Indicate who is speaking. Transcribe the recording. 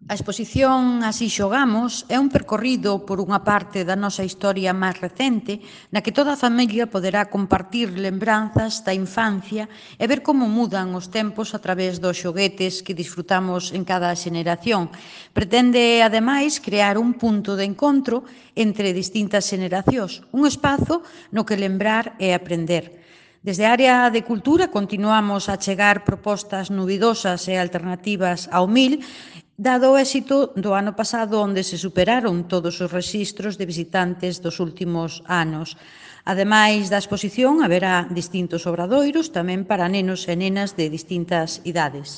Speaker 1: A exposición Así xogamos é un percorrido por unha parte da nosa historia máis recente na que toda a familia poderá compartir lembranzas da infancia e ver como mudan os tempos a través dos xoguetes que disfrutamos en cada xeneración. Pretende, ademais, crear un punto de encontro entre distintas xeneracións, un espazo no que lembrar e aprender. Desde a área de cultura continuamos a chegar propostas novidosas e alternativas ao MIL, dado o éxito do ano pasado onde se superaron todos os rexistros de visitantes dos últimos anos. Ademais da exposición, haberá distintos obradoiros tamén para nenos e nenas de distintas idades.